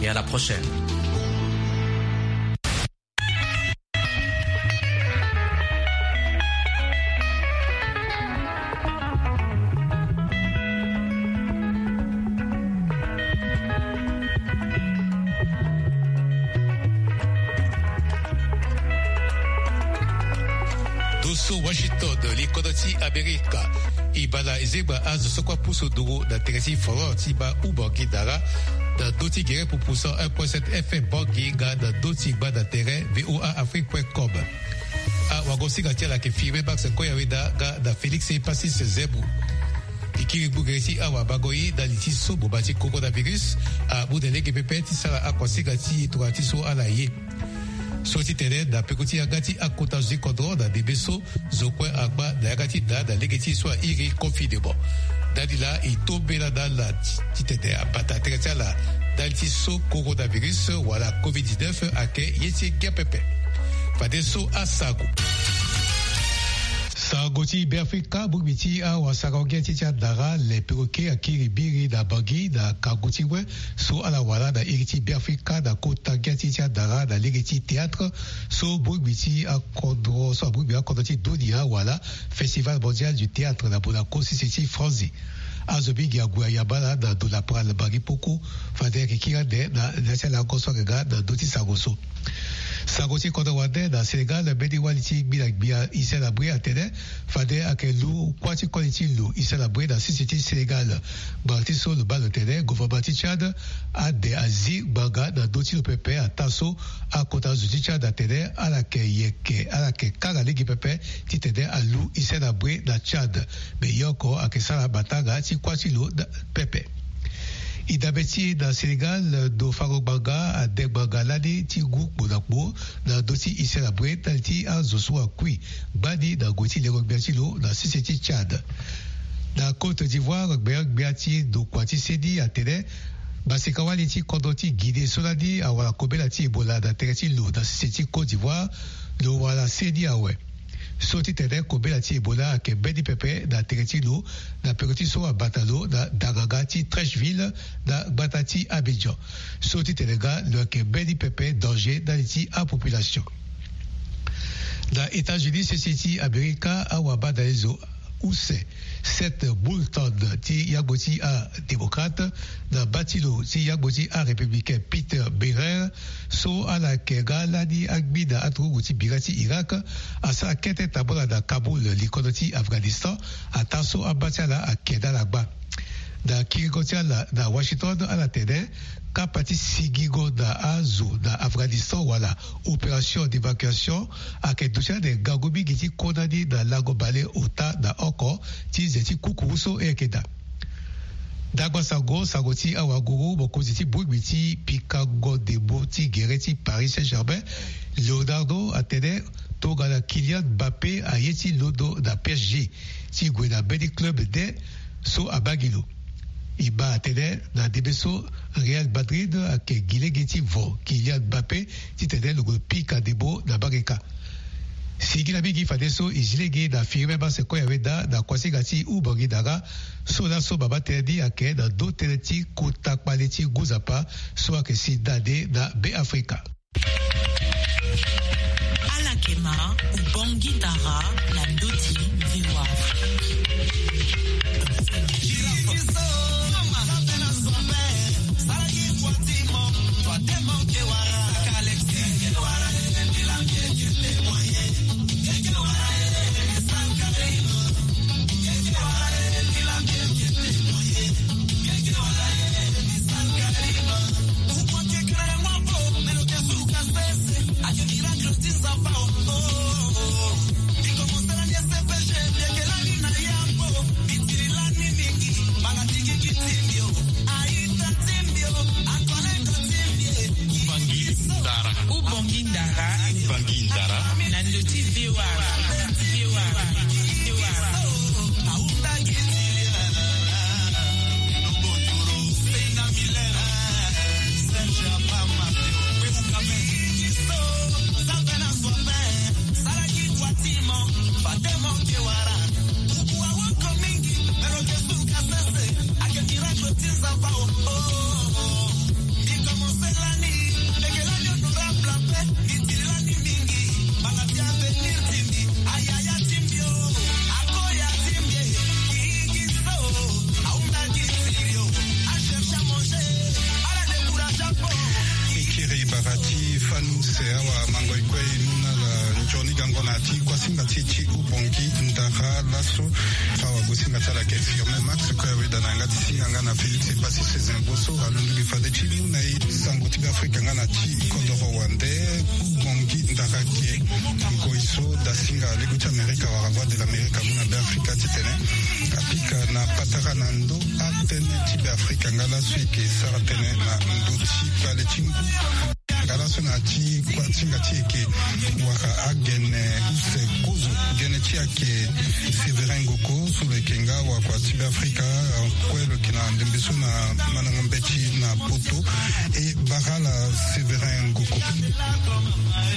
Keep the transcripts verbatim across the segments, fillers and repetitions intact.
Et à la prochaine. Doso Washington, li kodro ti Amerika. E baa na ezengba azo so kue apusu nduru na tere ti folklore ti baa Ubangi Dara na ndö ti gere pupu cent un point sept F M Bangui nga na ndö ti gbanda tere V O A Afrique point com. Awagosinga ti ala ayeke Firmin Max Koyaweda nga na Félix Passis Zebou. E kiri gbu gere ti awabango ye na li ti so boma ti coronavirus amu na lege pepe ti sara akuasinga ti e tongana ti so ala ye. So ti tene na peko ti yanga ti akota zo ti kodro na ndembe so zo kue angba na yanga ti da na lege ti so airi confinement. Ndali laa e to mbela na ala ti tene abata tere ti ala ndali ti so coronavirus wala covid dix-neuf ayeke ye ti ngia pepe. Fadeso asango. Sango ti Beafrika, bongbi ti awasara ngia ti ti adara le perroquet akiri biri na Bangui na kangu ti we so ala wara na iri ti Beafrika na kota ngia ti ti adara na lege ti théâtre so bongbi ti akodro so abongbi akodro ti dunia wala Festival Mondial du Théâtre na Monaco sese ti Franzi. Azo mingi ague ayamba ala na ndo lapara na Bangui poko. Fade ayeke kiri ande na ya ti alango so ayeke ga na ndö ti sango so. Sango ti kodro wande na Sénégal, mbeni wali ti gbi na gbia Hissène Habré atene fade ayeke lu kuâ ti koli ti lo Hissène Habré na sese ti Sénégal. Ngbanga ti so lo baa lo tene gouvernement ti Tchad ade azi ngbanga na ndö ti lo pepe ataa so akota zo ti Tchad atene ala yeke yeke ala yeke kanga lege pepe titene alu Hissène Habré na Tchad. Me ye oko ayeke sara matanga ti kuâ ti lo pepe. E dabe ti e na Sénégal, ndo fango ngbanga ade ngbanga lani ti ngu kpo na kpo na ndö ti Hissène Habré ndali ti azo so akui gbani na ngoi ti lengo gbia ti lo na sese ti Tchad. Na Côte d'Ivoire, gbia gbia ti ndokua ti seni atene maseka-wali ti kodro ti Guinée so lani awara kobela ti Ebola na tere ti lo na sese ti Côte d'Ivoire, lo wara seni awe. So ti tene kobela ti Ebola ayeke mbeni pepe na tere ti lo na peko ti so abata lo na daganga ti Treichville na gbata ti Abidjan. So ti tene nga lo yeke mbeni pepe danger ndali ti apopulation. Na États-Unis sese ti Amerika, awabadalezo use Seth Moulton ti yagbo ti adémocrate na bâ ti lo ti yagbo ti arépublicain Pete Buttigieg, so ala yeke ga lani angbi na aturugu ti bira ti Irak, asara kete tambula na Kaboul, likodo ti Afghanistan, ataa so abâ ti ala ake na ala gbâ. Na kiringo ti ala na Washington, ala tene kapa ti sigingo na azo na Afghanistan wala opération d'évacuation ayeke duti ande ngangu mingi ti kota ni na lango bale ota na oko ti ze ti kukuru so e yeke daa. Dagba sango, sango ti awanguru, mokonzi ti bongbi ti pikango ndembo ti gere ti Paris Saint-Germain, Leonardo, atene tongana Kylian Mbappé aye ti londo na P S G ti gue na mbeni club nde so abaa gi lo. E baa atene na ndembe so Real Madrid ayeke gi lege ti vo Kylian Mbappé titene lo gue pika ndembo na mbage kâ. Singila mingi fadeso e zi lege na Firmin Max Koyaweda na kuasinga ti Ubangi Dara, so laso mama tënë ni ayeke na ndö tënë ti kota kpale ti ngu nzapa so ayeke si nda nde na Beafrika. Ala yeke ma Ubangi Dara na ndö ti V O A. Ubangi Dara. Ubangi Dara. Na ndö ti V O A. V O A. V O A. Bara ti fani use awa mango e kue e mu na ala nzoni gango na ti kuasinga ti e ti Ubongi ndara laso. Awa gosinga ti ala ayeke Firmin Max kue aweda na yanga ti singa nga na Félix Epassi Sezin Boso alondo gi fade ti mu na e sango ti Beafrika nga na ti kodoro wande. Ubongi ndara ake ngoi so dasinga lego ti Amerika wala Voix de l'Amérique amu na Beafrika titene apika na patara na ndo atënë ti Beafrika nga laso e yeke sara tënë na ndö ti kpale ti ngu. Nga laso na ti kuasinga ti e yeke wara agene use kozo. Gene ti e ayeke Séverin Ngoko so lo yeke nga wakua ti Beafrika kue lo yeke na ndembe so na mandango mbeti na Poto. E bara ala Séverin Ngoko.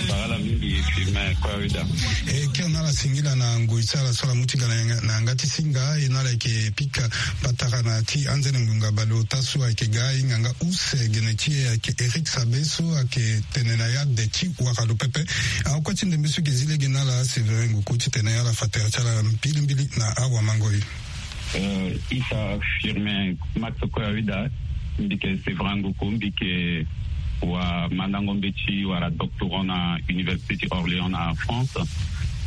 Bara ala mingi Firmin kue aweda. E kiri na ala singila na ngoi ti ala so ala mu ti ga na yanga ti singa. E na ala yeke pika patara na ti anzene ngbonga baleota so ayeke ga e ngbanga use gene ti e ayeke Éric Sabe so ayeke tene na ya de ti wara lo pepe. Akue ti ndembe so e yeke zi lege na ala Séverin Ngoko titene ala fa tere ti ala mbilimbili na awamango e. Isa Firmin Max kue aweda. Mbi yeke Séverin Ngoko, mbi yeke wamandango mbeti wala doctorant na Université ti Orléans na France.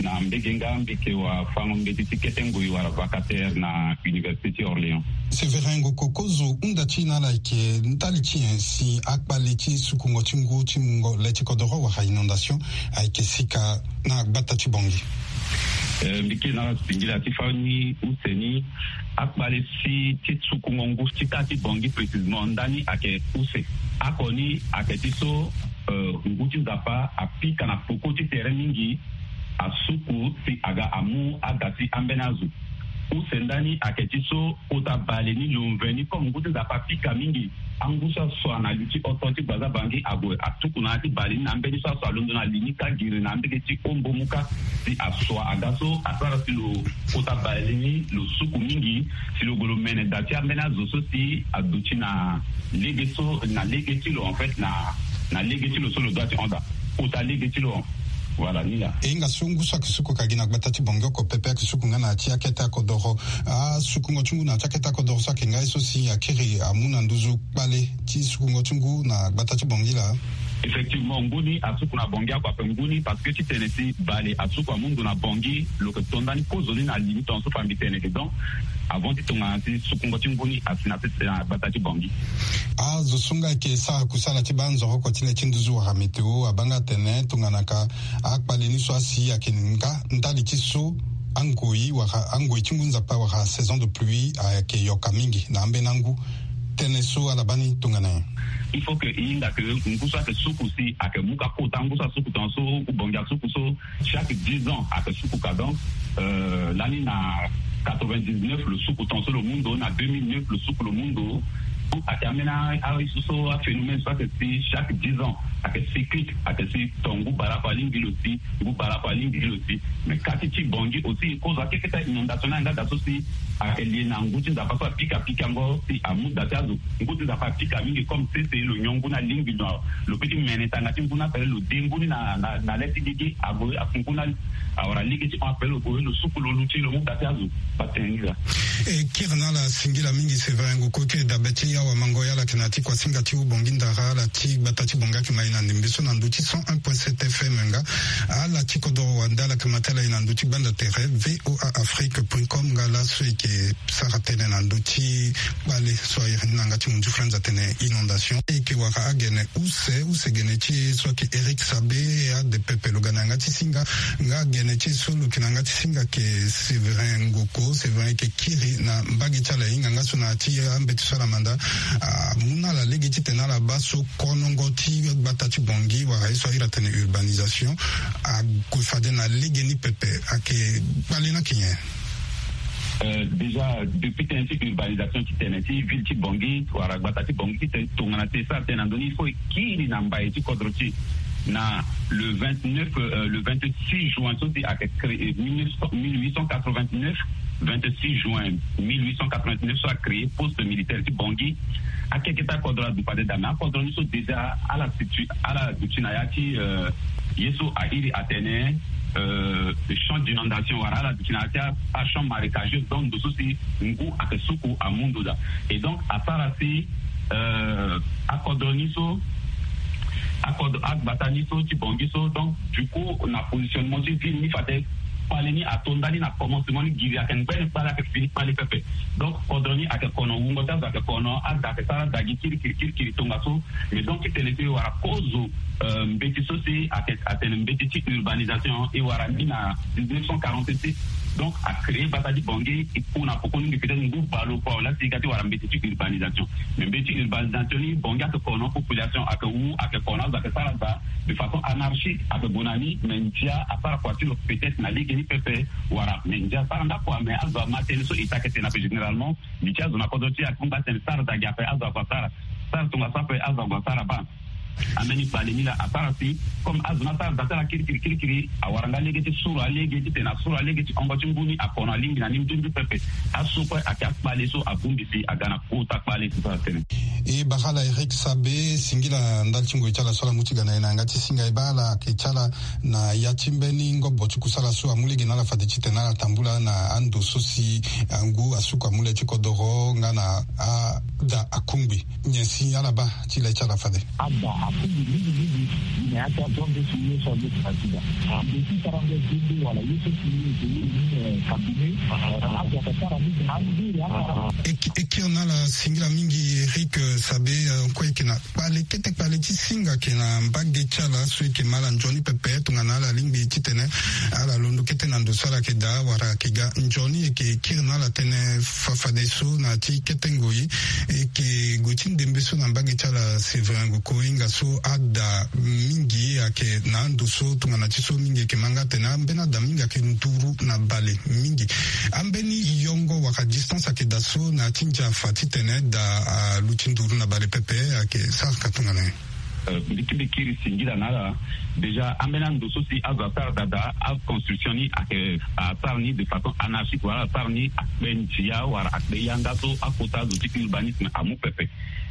Na mbege nga mbi yeke wafango mbeti ti kete ngoi wala vacataire na Université ti Orléans. Séverin Ngoko, kozo hunda ti e na ala ayeke ndali ti nyen si akpale ti sukungo ti ngu ti mungo le ti kodoro wala inondation ayeke sika na gbata ti Bangui? Eh, mbi kiri na ala singila ti fani use ni. Akpale si ti sukungo ngu ti kâ ti Bangui précisément ndani ayeke use. Oko ni ayeke ti so, eh, ngu ti Nzapa apika na peko ti tere mingi, asuku si aga amu aga ti ambeni azo. Use ndani ayeke ti so kota bale ni lo mveni comme ngu ti Nzapa apika mingi, angu so asua na li ti oto ti gbaza Bangui ague atuku na ya ti bale ni na ambeni so asua alondo na li ni kâ giri na ambege ti ombo mu kâ si asua aga so asara si lo kota bale ni lo suku mingi si lo gue lo mene da ti ambeni azo so si aduti na lege so na lege ti lo en fait na na lege ti lo so lo doit ti hon da kota lege ti lo. Voilà ni laa. E hinga so ngu so ayeke suku ka gi na gbata ti Bangui oko pepe ayeke suku nga na ya ti akete akodoro. Asukungo ti ngu na ya ti akete akodoro so ayeke nga ye so si akiri amu na nduzu kpale ti sukungo ti ngu na gbata ti Bangui laa? Effectivement ngu ni asuku na Bangui oko ape ngu ni parce que ti tene si bale asuku amu ndo na Bangui lo yeke to ndani kozo ni na li ni tongaso fa mbi tene ke donc avant ti tongana ti sukungo ti ngu ni asi na ti na gbata ti Bangui. Azo so nga ayeke sara kusala ti banzoro oko ti le ti nduzu wala météo abaa nga atene tongana ka akpale ni so asi ayeke nga ndali ti so angoi wala angoi ti ngu Nzapa wala saison de pluie ayeke yoka mingi na ambeni angu. Tënë so ala baa ni tongana nyen? Il faut que e hinga ke ngu so ayeke suku si ayeke mu ka kota ngu so asuku tongaso ou Bangui asuku so chaque dix ans ayeke suku ka donc, euh, lani na quatre-vingt-dix-neuf lo suku tongaso lo mu ndo na deux mille neuf lo suku lo mu ndo. Ayeke ambeni aye so so aphénomène so ayeke si chaque dix ans ayeke cyclique ayeke si ton ngu baleoko alingbi lo si ngu baleoko alingbi lo si. Mais kâ ti ti Bangui aussi kozo akeketa inondation ni ayeke nga da so si ayeke lie na ngu ti Nzapa so apika pikango si amu da ti azo. Ngu ti Nzapa apika mingi comme sese lo nyon ngu ni alingbi lo lo peut ti mene tanga ti ngu ni ape lo de ngu ni na na na le ti gigi ague afu ngu ni awara lege ti hon ape lo gue lo suku lo luti lo mu da ti azo. Batene ni laa. E kiri na ala singila mingi Séverin Ngoko ti dabe ti awamango ya ala yeke na ya ti kuasinga ti Ubongi ndara ala ti gbata ti Bangui ayeke ma e na ndembe so na ndö ti cent un point sept F M nga. Ala ti kodoro wande ala yeke ma ti ala e na ndö ti gbanda tere V O A Afrique point com nga laso e yeke sara tënë na ndö ti kpale so a iri ni na yanga ti munzu franz atene inondation. E yeke wara agene use use gene ti e so ayeke Éric Sabe ade pepe lo ga na yanga ti singa. Nga gene ti e so lo yeke na yanga ti singa ayeke Séverin Ngoko. Séverin ayeke kiri na mbage ti ala e hinga nga so na ya ti ambeti so ala manda amu na ala lege titene ala baa so konongo ti gbata ti Bangui wala ye so a iri atene urbanisation ague fade na lege ni pepe. Ayeke kpale ni ayeke nyen? Euh, déjà depuis tënë ti urbanisation ti tene ti ville ti Bangui wala gbata ti Bangui ti tene tongana ti e sara tënë na ndö ni il faut e kiri na mbai ti kodro ti e na le vingt-neuf, euh, le vingt-six juin so si ayeke créé mille neuf cent, mille huit cent quatre-vingt-neuf, vingt-six juin mille huit cent quatre-vingt-neuf so acréé poste militaire ti Bangui. Akeketa akodro aduti fade daa mais akodro ni so déjà ala situ ala duti na ya ti, euh, ye so a iri atene, euh, champ d'inondation wala ala duti na ya ti achamp marécageux donc ndo so si ngu ayeke suku amu ndo daa. Et donc asara si, euh, akodro ni so akodro agbata ni so ti Bangui so. Donc du coup na positionnement ti ville ni fade kpale ni ato ndali na commencement ni giri ayeke ngbene kpale ayeke fini kpale pepe. Donc kodro ni ayeke kono wungo ti azo ayeke kono ada ayeke sara ada gi kirikiri kirikiri tongaso. Mais donc ti tene so e wara kozo mbeti so si ayeke atene mbeti ti urbanisation e wara ni na dix-neuf cent quarante-six. Donc a créer bata ti Bangui e ku na poko mingi peut-être ngu baleoko awe laa si e ga ti wara mbeti ti urbanisation. Mais mbeti urbanisation ni Bangui ayeke kono population ayeke wu ayeke kono azo ayeke sara da de façon anarchique ayeke gue na ni. Mais ndia asara kua ti lo peut-être na lege ni pepe wala mais ndia asara ndako awe mais azo ama tënë so e ta ayeke tene ape généralement. Mbi ti azo na kodro ti e akungba atene sara da gi ape azo ague asara sara tongaso ape azo ague asara baa. Ambeni kpale ni laa asara si comme azo ni asara da ti ala kirikiri kirikiri awara nga lege ti suru alege titene asuru alege ti hongo ti ngu ni akono alingbi na ni nduindu pepe. Aso kue ayeke akpale so abongbi si aga na kota kpale ti sara tënë. E bara ala Eric Sabe singila ndali ti ngoi ti ala so ala mu ti ga na e na yanga ti singa e baa ala ayeke ti ala na ya ti mbeni ngobo ti kusala so amu lege na ala fade titene ala tambula na ando so si angu asuku amu le ti kodoro nga na ada akungbi. Nyen si ala baa ti le ti ala fade? Ada akungbi mingi mingi. Gi na ya ti azo ande so ye so aye ti na ti da ande ti sarango zende wala ye so si ye eke ye ni kabine. Azo ayeke sara mingi na andiri akara. E kiri na ala singila mingi Eric Sabe. Kue eke na kpale kete kpale ti singa ayeke na mbage ti ala so eke ma ala nzoni pepe tongana ala lingbi titene ala londo kete na ndo so ala yeke daa wala ayeke ga nzoni eke kiri na ala tënë fafadeso na ya ti kete ngoi. Eke gue ti ndembe so na mbage ti ala Séverin Nguko hinga so ada mingi ayeke na ando so tongana ti so mingi eke ma nga atene ambeni ada mingi ayeke nduru na bale mingi. Ambeni yongo wala distance ayeke daa so na ya ti ndia afa titene da aluti nduru na bale pepe ayeke sara ka tongana nyen? Mbi kiri singila na ala. Déjà ambeni ando so si azo asara da daa aconstruction ni ayeke asara ni de façon anarchique wala asara ni akpe ndia wala akpe yanga so akota zo ti urbanisme amu pepe.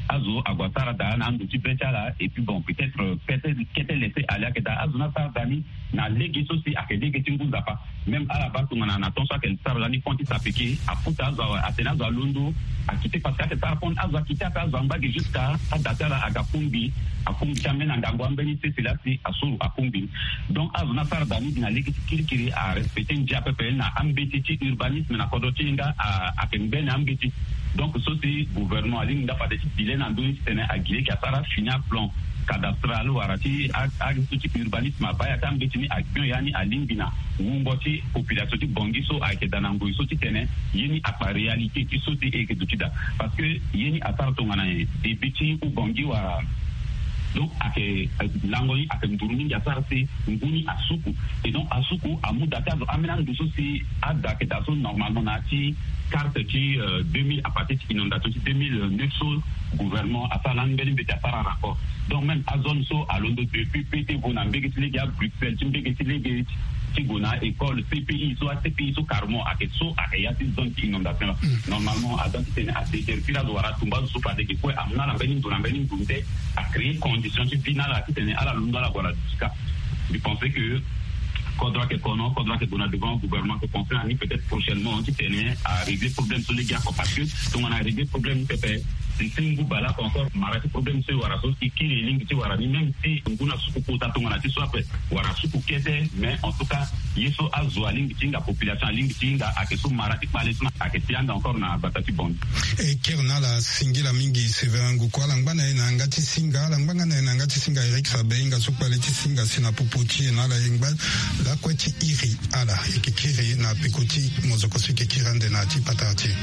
Azo ague asara daa na ando ti be ti ala et puis bon peut-être kete kete laisser aller ayeke daa azo ni asara daa ni na lege so si ayeke lege ti ngu nzapa. Même ala baa tongana na temps so ayeke sara lani pont ti sapeke afuta azo awe atene azo alondo akite parce que ayeke sara pont azo akite ape azo angba gi jusqu'à ada ti ala aga kungbi akungbi ti ambeni angangu ambeni sese laa si asuru akungbi ni. Donc azo ni asara daa ni gi na lege ti kirikiri arespecte ndia pepe na ambeti ti urbanisme na kodro ti e nga ayeke ngbene ambeti. Donc so si gouvernement alingbi nga fade ti dile na ndö ni titene agi lege asara fini aplan cadastral wala ti azo ti urbanisme abaa ya ti ambeti ni agbio ya ni alingbi na wungo ti population ti Bangui so ayeke daa na ngoi so titene ye ni akpa réalité ti so si e yeke duti daa. Parce que ye ni asara tongana nyen début ti Oubangui wala donc ayeke lango ni ayeke nduru mingi asara si ngu ni asuku. Et donc asuku amu daa ti azo ambeni ando so si ada ayeke daa so normalement na ya ti carte ti deux mille à partir ti inondation ti deux mille neuf so gouvernement asara lani mbeni mbeti asara rapport. Donc même azone so alondo depuis pe ti gue na mbege ti lege abruxelles ti mbege ti lege ti gue na école cpi so acpi so carrement ayeke so ayeke ya ti zone ti inondation la. Normalement aza titene adéterpire azo wala atumba azo so fade ge kue amu na ala mbeni ndo na mbeni ndo nde acréer condition ti vie na ala titene ala londo ala gue ala duti kâ. Mbi pense que kodro ayeke kono kodro ayeke gue na devant gouvernement ayeke pense na ni peut-être prochainement titene arégler problème so lege oko parce que tongana arégler problème ni pepe si ti ngu baleoko encore mara ti problème so e wara so e kiri e lingbi ti wara ni même si ngu na suku kota tongana ti so ape wara suku kete. Mais en tout cas ye so azo alingbi ti hinga population alingbi ti hinga ayeke so mara ti kpale so na ayeke ti anda encore na bata ti Bangui. E kiri na ala singila mingi Séverin Nguko ala ngba na e na yanga ti singa ala ngba nga na e na yanga ti singa Eric Sabe hinga so kpale ti singa si na popo ti e na ala e ngba lakue ti iri ala e yeke kiri na peko ti mozoko so e yeke kiri ande na ya ti patara ti e.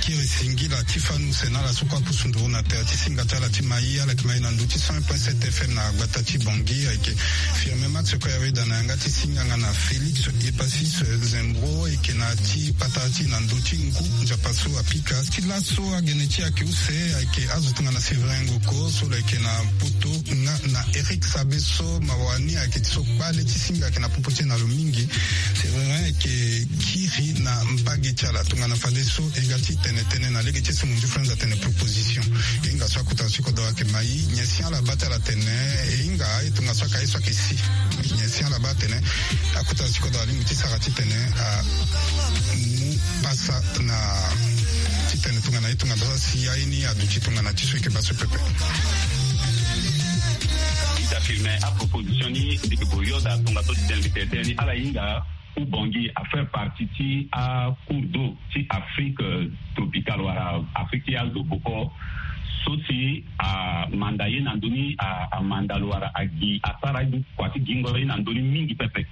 Kiri singila ti fanu sena ala so kue apusu nduru na tere ti singa ti ala ti mai. Ala yeke mai na ndö ti cent point sept F M na gbata ti Bangui. Ayeke Firmin Max kue ayeda na yanga ti singanga na Félix Epasis Zembro, ayeke na ti patara ti na ndö ti ngu nzapa so apika. Ti laso agene ti ayeke use ayeke azo tongana Séverin Ngoko so lo yeke na poto nga na Eric Sabe so mawa ni ayeke ti so kpale ti singa ayeke na popo ti e na lo mingi. Séverin ayeke kiri na mbage ti ala tongana fadeso e ga ti tene tënë na lege ti e so mo nzufre nda tene proposition. E hinga so akota ti kodoro ayeke mai nyen si ala baa ti ala tene. E hinga aye tongaso aka ye so ayeke si nyen si ala baa atene. Akota ti kodoro alingbi ti sara titene amu pasa na titene tongana ye tongana so asi aye ni aduti tongana ti so e yeke baa so pepe. Ita firme aproposition ni mbi yeke boyoda tongaso titene mbi tene tënë ni ala hinga Ubangui a faire partie ti acours d'eau ti Afrique tropicale wala Afrique ti azo boko. So si amanda ye na ndö ni amanda lo wala agi asara kua ti gingoro ye na ndö ni mingi pepe.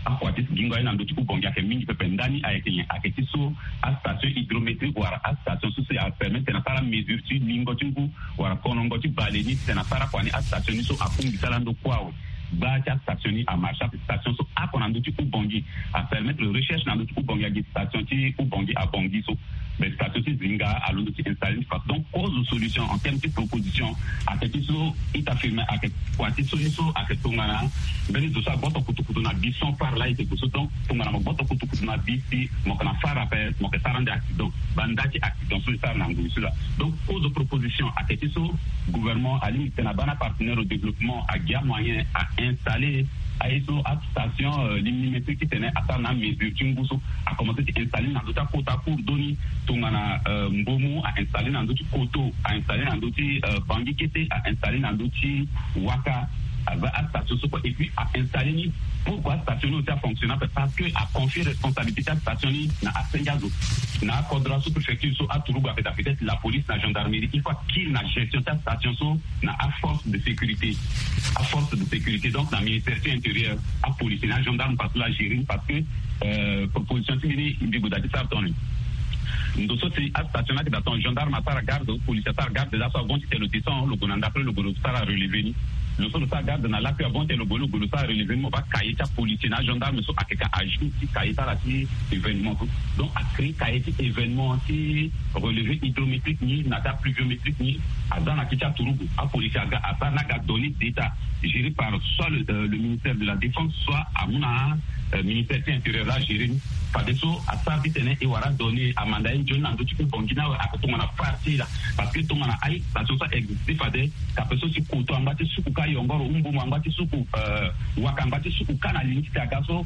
Akua ti gingoro ye na ndö ti Ubangui ayeke mingi pepe. Ndani ayeke nyen? Ayeke ti so astation hydrométrique wala astation so si apermettre na sara mesure ti lingo ti ngu wala konongo ti bale ni titene asara kua ni astation ni so akungbi ti ala ndo kue awe. Gba ti astation ni amarche ape station so oko na ndö ti Ubangui apermettre recherche na ndö ti Ubangui agi station ti Ubangui abangui so. Mais station ti zinga alondo ti installer ni façon donc cause solution en terme ti proposition. Ayeke ti so ita firme ayeke kua ti so ni so ayeke tongana mbeni zo so agboto kutukutu na bi sans phare laa e yeke gue so donc tongana mo gboto kutukutu na bi si mo yeke na phare ape mo yeke sara ande accident. Banda ti accident so e sara na ngoi so laa. Donc cause proposition ayeke ti so gouvernement alingbi titene abaa na apartenaire au développement agi amoyen a installer aye so astation limimétrique titene asara na amesure ti ngu so. Akomanse ti installer ni na ndö ti akota cours d'eau ni tongana Mbomu a installer na ndö ti Koto a installer na ndö ti Bangui kete a installer na ndö ti Waka. Aza astation so kue et puis a installer ni pourquoi astation ni aussi afonctionne ape parce que aconfie responsabilité ti astation ni na asenge azo na akodro asous-préfecture so aturugu ape daa peut-être la police na gendarmerie il faut akiri na gestion ti astation so na aforce de sécurité. Aforce de sécurité donc na ministère ti intérieur apolice na agendarme parce que la gérer parce que proposition ti mbi ni mbi gue daa ti sara tongana ni. Ndo so si astation ni ayeke daa tongana gendarme asara garde ou policier asara garde déjà so avant ti tene lo descend lo gue na ndapre lo gue lo sara relever ni. Lo so lo sara garde na lakui avant ti tene lo gue lo gue lo sara relever ni mo baa cahier ti apolicier na agendarme so ayeke ka ajour ti cahier ti ala ti événement so. Donc acréer cahier ti événement ti relever hydrométrique ni na ti apluviométrique ni. Aza na ti ti aturugu apolicier aga asara ni aga donner d'état gérer par soit le ministère de la défense soit amu na ministère ti intérieur la gérer ni. Fadeso asara titene e wara donner amanda ye nzoni na ndö ti Ubangui ni awe ake tongana phare ti e laa. Parce que tongana aye station so a existe fade kape so si Koto angba ti suku ka yongoro ou Mbomu angba ti suku Waka angba ti suku ka na li ni titene aga so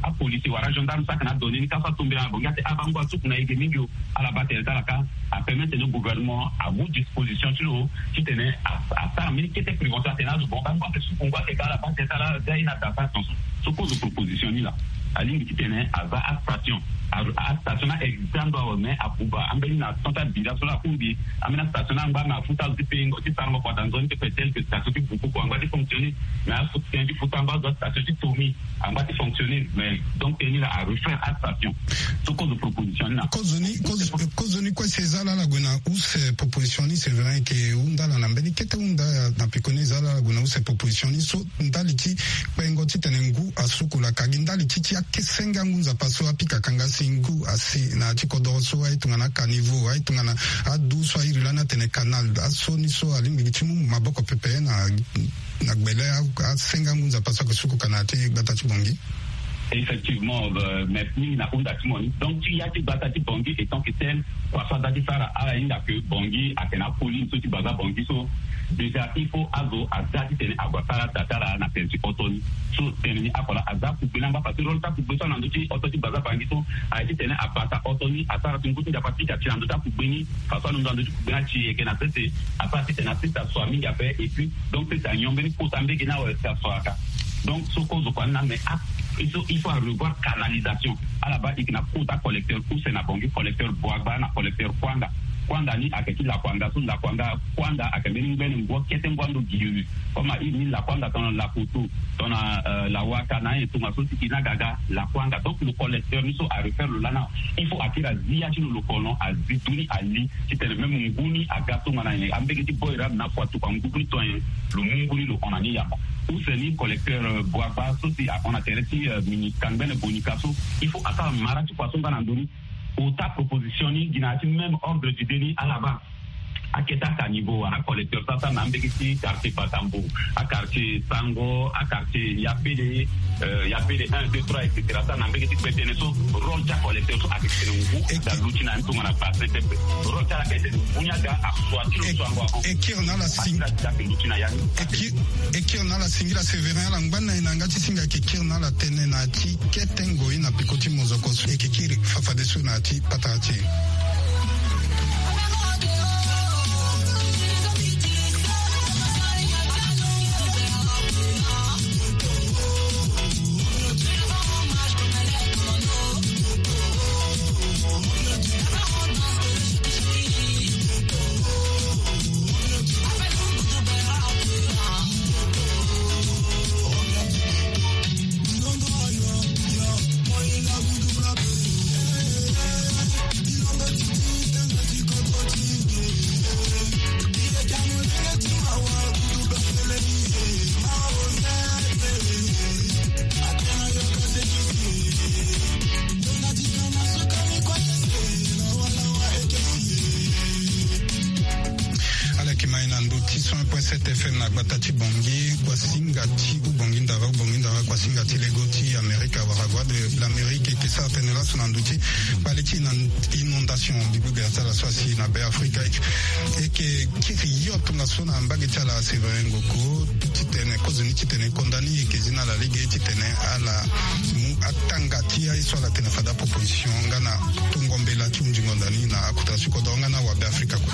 apolicier wala agendarme so ayeke na adonner ni ka so atombela na Bangui ate abango asuku na e ge mingi o. Ala baa tene ti ala ka apermettre tene gouvernement amu disposition ti lo titene asara mbeni kete prévention atene azo bon bango ayeke suku ngu ayeke ka ala baa tene ti ala ga ye na daa sara tonso. So kozo proposition ni laa alingbi titene aza astation. Astation ni a existe ando awe mais abuba ambeni na temps ti abila so laa akungbi ambeni astation ni angba na afuta azo ti pengo ti sarango kua daa nzoni ti pe tel que station ti Bukoko angba ti fonctionner. Mais afuta tënë ti futa angba azo astation ti Tomi angba ti fonctionner mais donc tënë ni laa arefaire astation. So kozo proposition ni na kozoni kozoni kue si e za laa ala gue na use proposition ni c'est vrai ke hunda ala na mbeni kete hunda na pekoni e za laa ala gue na use proposition ni so ndali ti kpengo titene ngu asuku laka gi ndali ti ti akesenge angu nzapa so apika kanga si ngu asi na ya ti kodoro so aye tongana acaniveau aye tongana adu so a iri lani atene canal aso ni so alingbi gi ti mu maboko pepe na na gbele asenga ngu nzapa so ake suku kana ti gbata ti Bangui. Effectivement, merci mingi na hunda ti mo ni. Donc ti ya ti gbata ti Bangui étant que tel kua so aza ti sara ala hinga que Bangui ake na apolini so ti baza Bangui so déjà il faut azo aza titene ague asara da ti ala na tene ti oto ni. So tene ni akola aza kugbe ni angba parce que rôle ti akugbe so ala na ndö ti oto ti baza Bangui so aye titene abata oto ni asara ti ngu ti nzapa ti ga ti na ndö ti akugbe ni. Façon alondo na ndö ti kugbe ni ati yeke na sese asara titene asese aso mingi ape et puis donc sese anyon mbeni kota mbege ni awe si aso aka. Donc so kozo kua ni na mais a il faut il faut arevoir canalisation. Ala baa eke na kota collecteur use na Bangui collecteur Boagba na collecteur Kuanga. Kuanga ni ayeke ti lakuanga so, lakuanga kuanga ayeke mbeni ngbene ngbua kete ngbua ndo gi. Comme a iri ni lakuanga tongana lakoto, tongana, euh, lawaka na ayen tongaso si e na ga aga lakuanga. Donc lo collecteur ni so a refaire lo lana, il faut a kiri a zi ya ti lo, lo kono a zi tu ni a li titene même ngu ni aga tongana nyen, ambege ti boy rabe na afu atuku angu ni to nyen, lo mu ngu ni lo hon na ni yamba. Use ni collecteur, euh, boaba so si ahon na tere ti, euh, mini kangbene bonika so, il faut asara mara ti kua so nga na ndö ni. Ota proposition ni gi na ya ti même ordre d'idée ni ala baa. Akete aka niveau wala acollecteur so asara na ambege ti quartier Batambo, aquartier Sango, aquartier Yapele, euh, Yapele un, deux, trois, et cetera. Asara na ambege ti kpe tënë so, rôle ti acollecteur so ayeke tene ngu aga luti na ya ni tongana bassin pepe. Rôle ti ala ayeke tene ngu ni aga asua ti lo so ango ahon. E kiri na ala sing- Asara ti ayeke luti na ya ni. E ki- e kiri na ala singila Sévérin, ala ngba ni na e na yanga ti singa. E yeke kiri na ala tënë na ya ti kete ngoi na peko ti mozoko so. E yeke kiri fafadeso na ya ti patara ti e. Ala yeke ma e na ndö ti cent un point sept F M na gbata ti Bangui, kuasinga ti Ubongi Ndara, Ubongi Ndara, kuasinga ti lego ti Amerika wala Voix de l'Amérique. E yeke sara tënë laso na ndö ti kpale ti inondation, mbi baa gbia ti ala so asi na Be Afrika. E yeke kiri hio tongaso na mbage ti ala Sévérin Ngoko titene kozoni titene konda ni e yeke zi na ala lege titene ala mu atanga ti aye so ala tene fade aproposition nga na tongo mbela ti hunzi ngonda ni na akota ti kodro nga na wabe Afrika kue.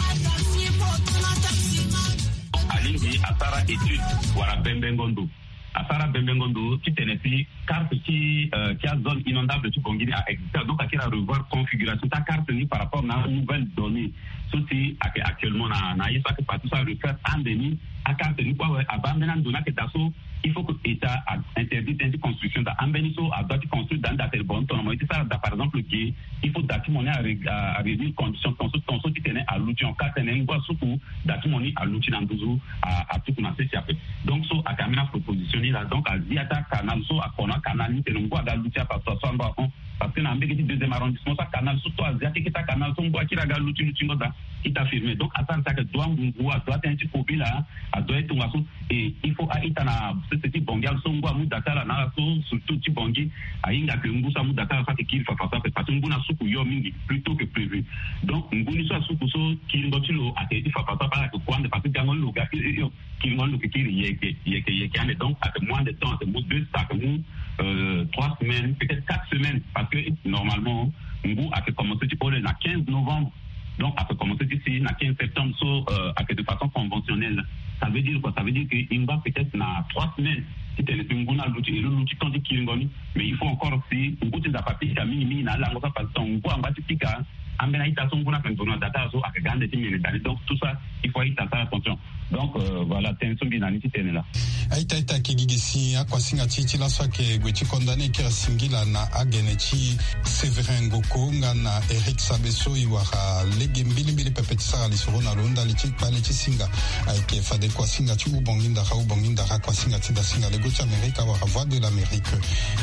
Alingbi asara étude wala bembengo ndo. Asara bembengo ndo titene si carte ti, euh, ti azone inondable ti Bangui ni a existe. Donc akiri arevoir configuration ti acarte ni par rapport na nouvelle donnée so si ayeke actuellement na, na ye so ayeke partout so arefaire ande ni. Acarte ni kue awe abaa ambeni ando ni ayeke daa so il faut que État a interdit tënë ti construction daa. Ambeni so adoit ti construire daa ni daa tene bon tongana mo ye ti sara daa par exemple ge, il faut daa ti mo ni a ré-, a, a réunir condition tongaso tongaso titene aluti en cas tene ngu asuku daa ti mo ni aluti na nduzu a, atuku na sese ape. Donc so ayeke ambeni aproposition ni laa. Donc azi ya ti acanal so akono acanal ni tene ngu aga luti afa so aso ando ahon. Parce que na mbege ti deuxième arrondissement so acanal so to azi akeke ti acanal so ngu akiri aga luti lutingo daa. Ita firme. Donc asara si ayeke doit ngu ngu adoit tënë ti kobela adoit ye tongaso. Et il faut a-ita na sese ti Bangui ala so ngu amu daa ti ala na ala so surtout ti Bangui ahinga ke ngu so amu daa ti ala so ayeke kiri fafa so ape parce que ngu ni asuku hio mingi plus tôt que prévu. Donc ngu ni so asuku so kiringo ti lo ayeke ye ti fafa so ape ala yeke kue ande parce que gango ni lo ga hio hio hio. Kiringo ni lo yeke kiri yeke yeke yeke ande. Donc ayeke mu ande temps ayeke mu deux ayeke mu, euh, trois semaines peut-être quatre semaines parce que normalement ngu ayeke commencé ti hole na quinze novembre. Donc ayeke commencé ti si na quinze septembre so, euh, ayeke de façon conventionnelle. Ça veut dire quoi? Ça veut dire que e ngba peut-être na trois semaines titene si ngu ni aluti e lo luti temps ti kiringo ni. Mais il faut encore si ngu ti Nzapa apika mingi mingi na alango so apassé ton ngu angba ti pika. Ambeni a-ita so ngu ni ayeke nzoni na daa ti ala so ayeke ga ande ti mene daa ni. Donc tout ça il faut a-ita asara attention. Donc, euh, voilà tënë so mbi na ni ti tene laa. A-ita a-ita ayeke gi gi si akuasinga ti e ti laso ayeke gue ti konda ni e kiri singila na agene ti Sévérin Ngoko nga na Eric Sabeso e wara lege mbilimbili pepe ti sara lisoro na lo ndali ti kpale ti singa. Ayeke fade kuasinga ti Ubongi Ndara, Ubongi Ndara kuasinga ti dasinga lego ti Amerika wala Voix de l'Amérique.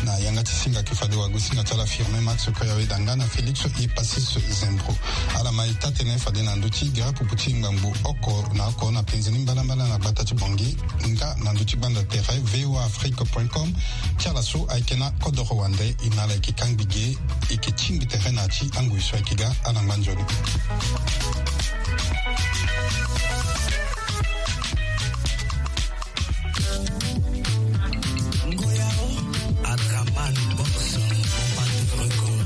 Na yanga ti singa ayeke fade wagosinga ti ala Firmin Max Koyaweda nga na Félix Epasis Zembro. Ala ma e taa-tënë fade na ndö ti gere pupu ti ngbangbo oko na oko na penze ni mbalambala na gbata ti Bangui nga na ndö ti gbanda tere V O A Afrique point com. Ti ala so ayeke na kodoro wande e na ala yeke kangbi ge. E yeke tingbi tere na ya ti angoi so ayeke ga. Ala ngba nzoni. Ngoya o, Adraman Boss, mon batteur record.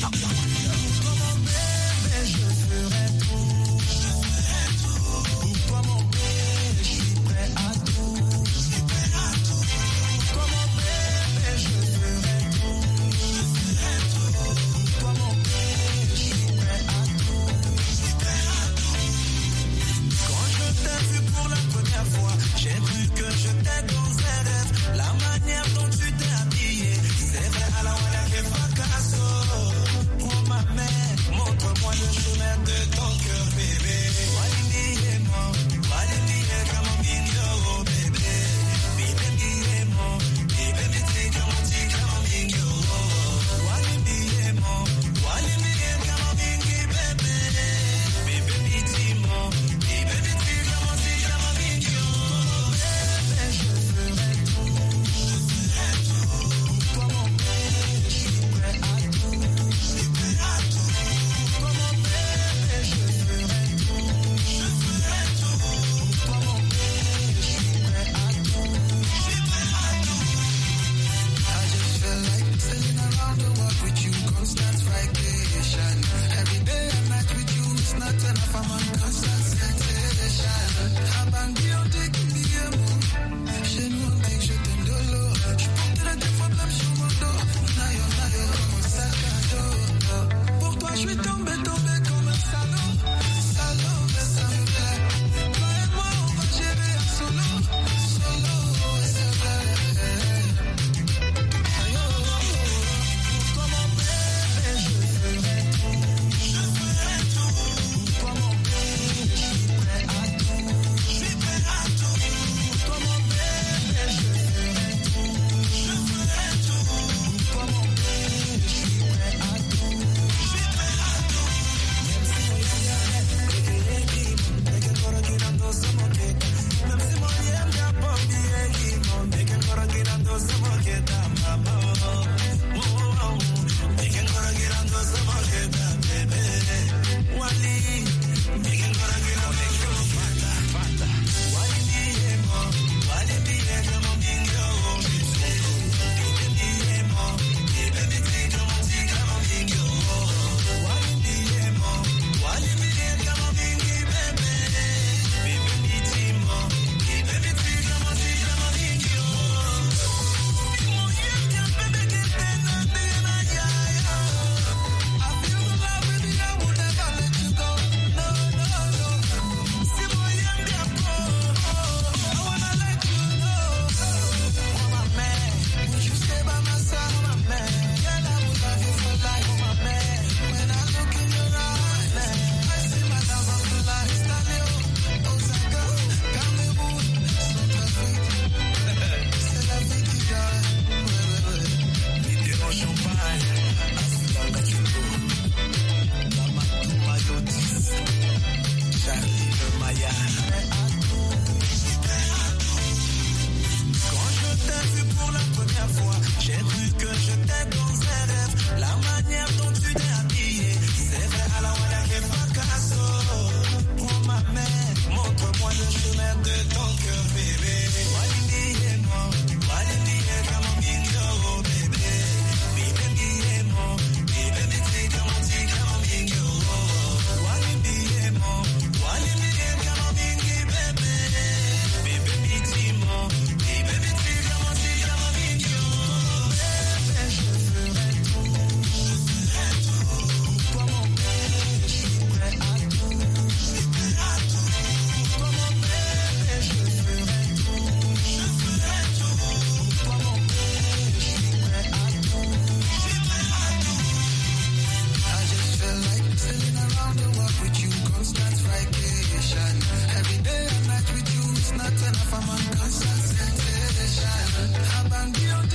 Pour toi, mon bébé, je ferai tout. Pour toi, mon bébé, je suis prêt à tout. Pour toi, mon bébé, je ferai tout. Pour toi, mon bébé, je suis Quand je t'ai vu pour la première fois, j'ai cru que j'étais dans un rêve. La manière dont tu t'es habillée, c'est vrai, à la wala et fracasso. Prends ma main, montre-moi le chemin de ton cœur, bébé. Wali mbi ye mo, wali mbi ye kamo mingio, bébé. Mbi mbi ye mo, mbi mbi ti kamo ti kamo mingio. Wali mbi ye mo, wali mbi ye kamo mingi, bébé. Mbi mbi ti mo, mbi mbi ti kamo ti kamo mingio. Bébé, je ferai tout, je ferai tout. Pour toi, mon bébé, je suis prêt à tout. Je suis prêt à tout. Pour toi, mon bébé, je ferai tout. Je ferai tout. Pour toi, mon bébé, je suis prêt à tout. Je suis prêt à tout. I just feel like sailing around the world with you, constant vacation. Every day and night with you, it's not enough, I'm on constant sensation. Abang beyond